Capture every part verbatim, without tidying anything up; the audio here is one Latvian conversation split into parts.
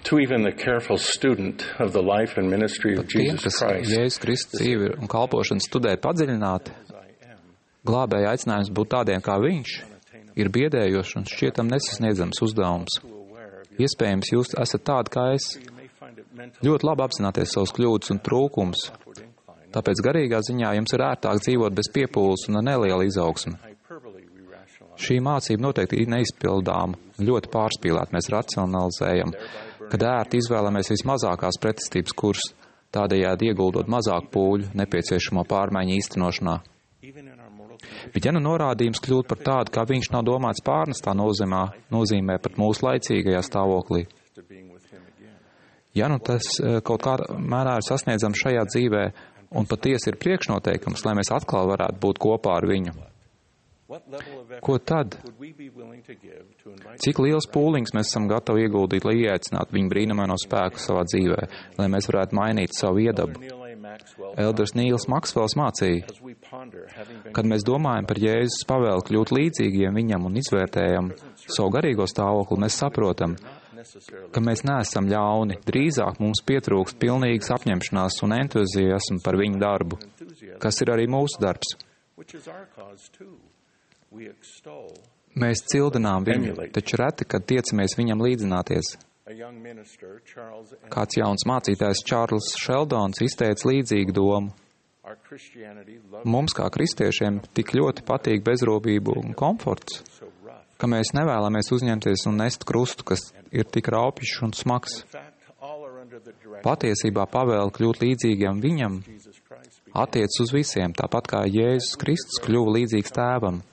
To even the careful student of the life and ministry of Tiem, Jesus kas Christ, Jēzus Kristus dzīvi un kalpošanu studē padziļināti, glābēja aicinājums būt tādiem kā viņš ir biedējošs un šķietam nesasniedzams uzdevums. Iespējams, jūs esat tādi kā es, ļoti labi apzināties savus kļūdas un trūkums, tāpēc garīgā ziņā jums ir ērtāk dzīvot bez piepūles un ar nelielu izaugsmu. Šī mācība noteikti ir neizpildāma, ļoti pārspīlēta. Mēs racionalizējam, kad ērti izvēlamies vismazākās pretestības kursus, tādējādi ieguldot mazāk pūļu nepieciešamo pārmaiņu īstenošanā. Bet ja nu norādījums kļūt par tādu, kā viņš nav domāts pārnestā nozīmē, nozīmē pat mūsu laicīgajā stāvoklī. Ja nu tas kaut kādā mērā ir sasniedzams šajā dzīvē un patiesi ir priekšnoteikums, lai mēs atkal varētu būt kopā ar viņu, ko tad? Cik liels pūliņš mēs esam gatavi ieguldīt, lai ieaicinātu viņu brīnumaino spēku savā dzīvē, lai mēs varētu mainīt savu iedabu? Elders Nīls Maksvels mācīja, kad mēs domājam par Jēzus pavēli kļūt līdzīgiem viņam un izvērtējam savu garīgo stāvokli, mēs saprotam, ka mēs neesam ļauni, drīzāk mums pietrūkst pilnīgas apņemšanās un entuziasmu par viņu darbu, kas ir arī mūsu darbs. Mēs cildinām viņu, taču reti, kad tiecamies viņam līdzināties. Kāds jauns mācītājs Čārls Šeldons izteica līdzīgu domu. Mums, kā kristiešiem, tik ļoti patīk bezrobība un komforts, ka mēs nevēlamies uzņemties un nest krustu, kas ir tik raupjš un smags. Patiesībā pavēle kļūt līdzīgiem viņam attiec uz visiem, tāpat kā Jēzus Kristus kļuva līdzīgs tēvam.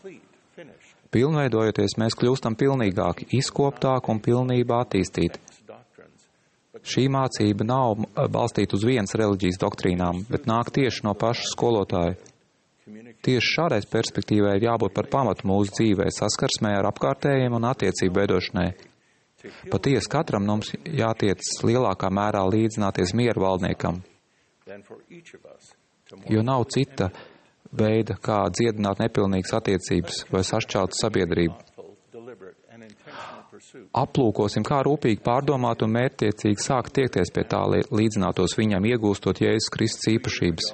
Pilnveidojoties, mēs kļūstam pilnīgāki, izkoptāki un pilnībā attīstīti. Šī mācība nav balstīta uz vienas reliģijas doktrīnām, bet nāk tieši no paša skolotāja. Tieši šādai perspektīvai ir jābūt par pamatu mūsu dzīvē, saskarsmē ar apkārtējiem un attiecību veidošanai. Patiesi katram mums jātiec lielākā mērā līdzināties mieru valdniekam, jo nav cita veida, kā dziedināt nepilnīgas attiecības vai sašķeltu sabiedrību. Aplūkosim, kā rūpīgi pārdomāt un mērķtiecīgi sākt tiekties pie tā, lai līdzinātos viņam, iegūstot Jēzus Kristus īpašības.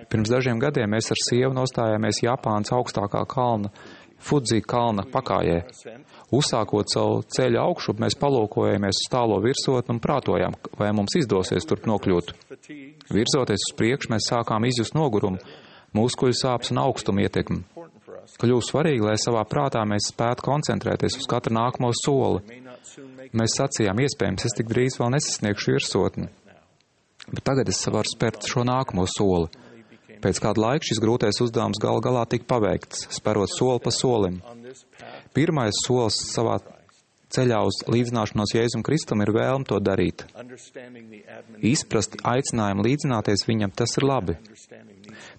Pirms dažiem gadiem mēs ar sievu nostājāmies Japānas augstākā kalna, Fudzi kalna pakājē. Uzsākot savu ceļu augšup, mēs palūkojāmies uz tālo virsotni un prātojām, vai mums izdosies turp nokļūt. Virzoties uz priekšu, mēs sākām izjust nogurumu, muskuļu sāpes un augstumu ietekmi. Kļūst svarīgi, lai savā prātā mēs spētu koncentrēties uz katru nākamo soli. Mēs sacījām, iespējams, es tik drīz vēl nesasniegšu virsotni, bet tagad es varu spērt šo nākamo soli. Pēc kāda laika šis grūtais uzdevums gal galā tika paveikts, sperot soli pa solim. Pirmais solis savā ceļā uz līdzināšanos Jēzum Kristum ir vēlme to darīt. Izprast aicinājumu līdzināties viņam, tas ir labi.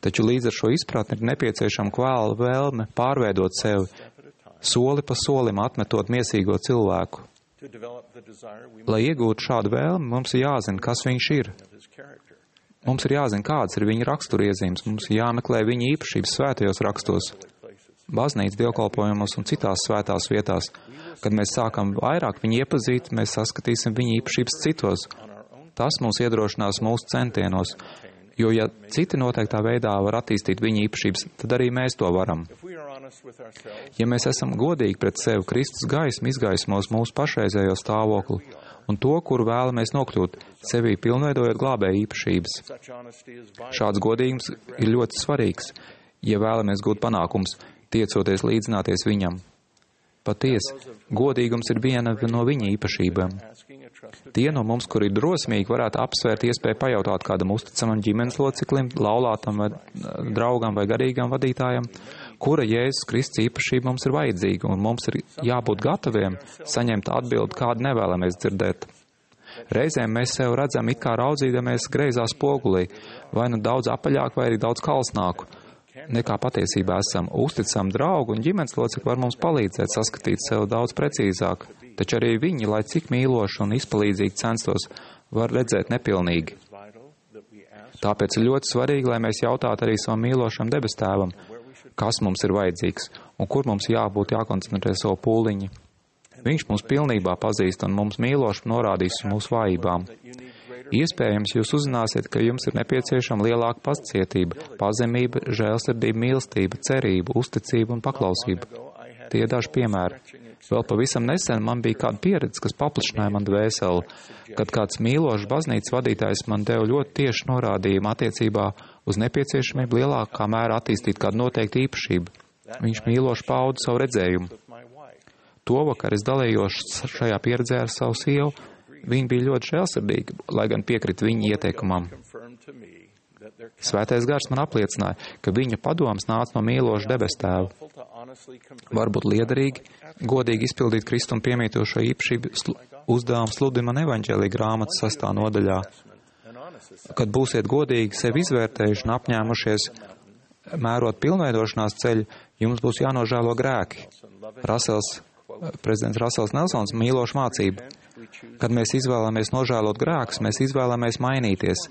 Taču līdz ar šo izpratni ir nepieciešama kvēla vēlme pārveidot sevi, soli pa solim atmetot miesīgo cilvēku. Lai iegūtu šādu vēlmi, mums ir jāzina, kas viņš ir. Mums ir jāzina, kādas ir viņa raksturiezīmes, mums ir jāmeklē viņa īpašības svētajos rakstos, baznīcas dievkalpojumos un citās svētās vietās. Kad mēs sākam vairāk viņu iepazīt, mēs saskatīsim viņa īpašības citos. Tas mūs iedrošinās mūsu centienos, jo ja citi noteiktā veidā var attīstīt viņa īpašības, tad arī mēs to varam. Ja mēs esam godīgi pret sevi, Kristus gaisma izgaismos mūsu pašreizējo stāvokli un to, kuru vēlamies nokļūt, sevī pilnveidojot glābēja īpašības. Šāds godīgums ir ļoti svarīgs, ja vēlamies gūt panākums, tiecoties līdzināties viņam. Patiesi, godīgums ir viena no viņa īpašībām. Tie no mums, kuri ir drosmīgi, varētu apsvērt iespēju pajautāt kādam uzticamam ģimenes loceklim, laulātam vai draugam vai garīgam vadītājam, kura Jēzus Kristus īpašība mums ir vajadzīga, un mums ir jābūt gataviem saņemt atbildi, kādu nevēlamies dzirdēt. Reizēm mēs sev redzam it kā raudzīdamies greizā spogulī, vai nu daudz apaļāk, vai arī daudz kalsnāku, nekā patiesībā esam. Uzticam draugu un ģimenes locekli var mums palīdzēt saskatīt sev daudz precīzāk, taču arī viņi, lai cik mīloši un izpalīdzīgi censtos, var redzēt nepilnīgi. Tāpēc ir ļoti svarīgi, lai mēs jautātu arī savam mīlošam debestēvam, kas mums ir vajadzīgs un kur mums jābūt jākoncentrē savu pūliņu. Viņš mūs pilnībā pazīst un mums mīloši norādīs uz mūsu vājībām. Iespējams, jūs uzzināsiet, ka jums ir nepieciešama lielāka pacietība, pazemība, žēlsirdība, mīlestība, cerība, uzticība un paklausība. Tie ir daži piemēri. Vēl pavisam nesen man bija kāda pieredze, kas paplašināja man dvēseli, kad kāds mīlošs baznīcas vadītājs man deva ļoti tieši norādījumu attiecībā uz nepieciešamību lielākā mērā attīstīt kādu noteiktu īpašību. Viņš mīloši pauda savu redzējumu. To vakar es dalījos šajā pieredzē ar savu sievu. Viņa bija ļoti žēlsirdīga, lai gan piekrita viņa ieteikumam. Svētais gars man apliecināja, ka viņa padoms nāca no mīloša debes tēva. Varbūt liederīgi, godīgi izpildīt Kristum piemītošo īpašību sl uzdevumu sludina man evaņģēlija grāmatas sastā nodaļā. Kad būsiet godīgi sevi izvērtējuši un apņēmušies mērot pilnveidošanās ceļu, jums būs jānožēlo grēki. Rasels, prezidents Rasels Nelsons mīloša mācība. Kad mēs izvēlamies nožēlot grēkus, mēs izvēlamies mainīties.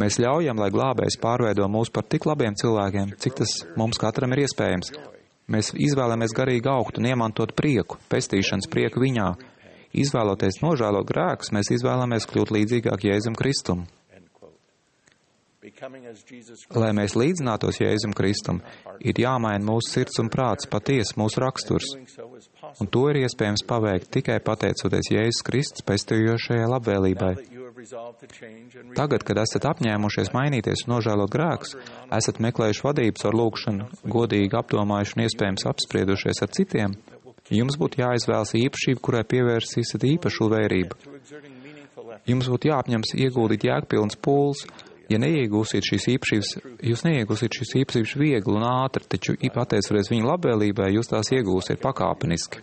Mēs ļaujam, lai glābējs pārveido mūs par tik labiem cilvēkiem, cik tas mums katram ir iespējams. Mēs izvēlamies garīgi augt un iemantot prieku, pestīšanas prieku viņā. Izvēloties nožēlot grēkus, mēs izvēlamies kļūt līdzīgāk Jēzum Kristum. Lai mēs līdzinātos Jēzum Kristum, ir jāmaina mūsu sirds un prāts, patiesi mūsu raksturs. Un to ir iespējams paveikt tikai pateicoties Jēzus Kristus pestījošajai labvēlībai. Tagad, kad esat apņēmušies mainīties un nožēlot grēkus, esat meklējuši vadības ar lūgšanu, godīgi apdomājuši un iespējams apspriedušies ar citiem, jums būtu jāizvēlas īpašība, kurai pievērsīsiet īpašu vērību. Jums būtu jāapņems ieguldīt jēgpilns pūles. Ja neiegūsiet šīs īpašības, jūs neiegūsiet šīs īpašības viegli un ātri, taču pateicoties viņa labvēlībai, jūs tās iegūsiet pakāpeniski.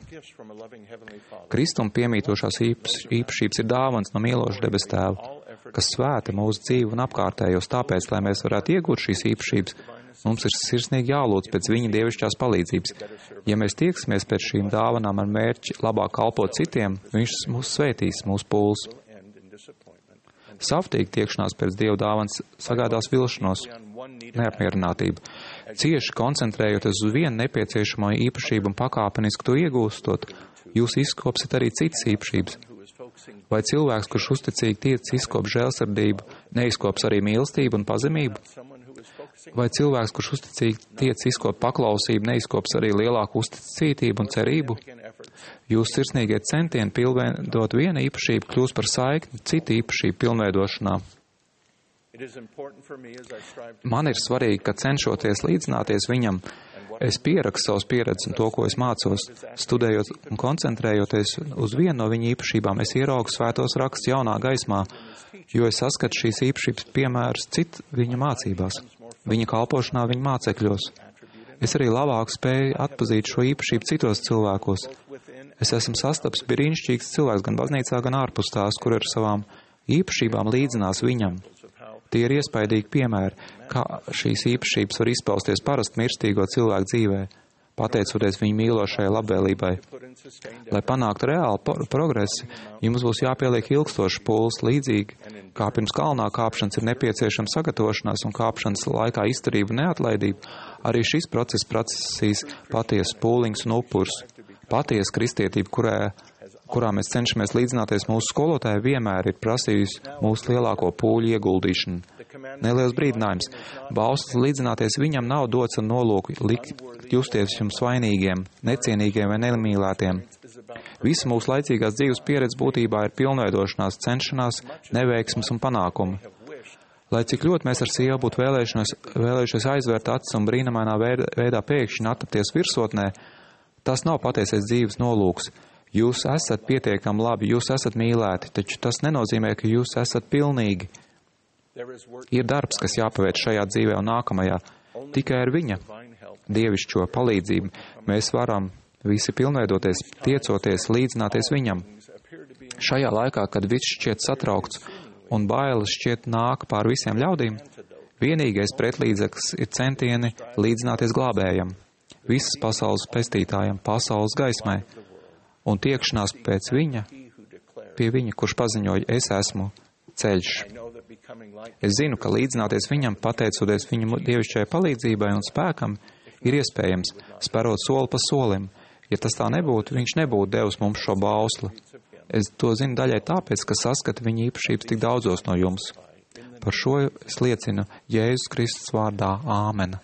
Kristum piemītošās īpašības ir dāvans no mīloša debes tēva, kas svēta mūsu dzīvi un apkārtējos, tāpēc, lai mēs varētu iegūt šīs īpašības, mums ir sirsnīgi jālūdz pēc viņa dievišķās palīdzības. Ja mēs tieksimies pēc šīm dāvanām ar mērķi labāk kalpot citiem, viņš mūs svētīs, mūsu pūles. Savtīgi tiekšanās pēc Dieva dāvans sagādās vilšanos, neapmierinātību. Cieši koncentrējoties uz vienu nepieciešamo īpašību un pakāpeniski to iegūstot, jūs izkopsiet arī citas īpašības. Vai cilvēks, kurš uzticīgi tiec izkop žēlsirdību, neizkops arī mīlestību un pazemību? Vai cilvēks, kurš uzticīgi tiec izkop paklausību, neizkops arī lielāku uzticītību un cerību? Jūsu sirsnīgie centieni pilnveidot vienu īpašību kļūst par saikni citu īpašību pilnveidošanā. Man ir svarīgi, ka cenšoties līdzināties viņam, es pierakstu savus pieredzes un to, ko es mācos. Studējot un koncentrējoties uz vienu no viņa īpašībām, es ieraugu svētos rakstus jaunā gaismā, jo es saskatu šīs īpašības piemērus citu viņa mācībās, viņa kalpošanā, viņa mācekļos. Es arī labāk spēju atpazīt šo īpašību citos cilvēkos. Es esmu sastaps brīnišķīgs cilvēks gan baznīcā, gan ārpus tās, kur ar savām īpašībām līdzinās viņam. Tie ir iespaidīgi piemēri, kā šīs īpašības var izpausties parasti mirstīgo cilvēku dzīvē, pateicoties viņa mīlošajai labvēlībai. Lai panāktu reālu progresu, jums būs jāpieliek ilgstošs pūles līdzīgi, kā pirms kalnā kāpšanas ir nepieciešama sagatavošanās un kāpšanas laikā izturība un neatlaidība. Arī šis process prasīs patiesas pūliņus un upurs. Patiesa kristietība, kurā, kurā mēs cenšamies līdzināties mūsu skolotāji, vienmēr ir prasījusi mūsu lielāko pūļu ieguldīšanu. Neliels brīdinājums. Balsts līdzināties viņam nav dots ar nolūku likt justies jums vainīgiem, necienīgiem vai nemīlētiem. Visa mūsu laicīgās dzīves pieredze būtībā ir pilnveidošanās, cenšanās, neveiksmes un panākumi. Lai cik ļoti mēs ar sievu būtu vēlējušies aizvērt acis un brīnumainā veidā pēkšņi atrapties virsotnē, tas nav patiesais dzīves nolūks. Jūs esat pietiekami labi, jūs esat mīlēti, taču tas nenozīmē, ka jūs esat pilnīgi. Ir darbs, kas jāpaveic šajā dzīvē un nākamajā. Tikai ar viņa dievišķo palīdzību mēs varam visi pilnveidoties, tiecoties, līdzināties viņam. Šajā laikā, kad viss šķiet satraukts un bailes šķiet nāk pār visiem ļaudīm, vienīgais pretlīdzeklis ir centieni līdzināties glābējam, visas pasaules pestītājam, pasaules gaismai, un tiekšanās pēc viņa, pie viņa, kurš paziņoja, es esmu ceļš. Es zinu, ka līdzināties viņam, pateicoties viņa dievišķajai palīdzībai un spēkam, ir iespējams, sperot soli pa solim, Ja tas tā nebūtu, viņš nebūtu devis mums šo bausli. Es to zinu daļai tāpēc, ka saskatu viņa īpašības tik daudzos no jums. Par šo es liecinu Jēzus Kristus vārdā. Āmen.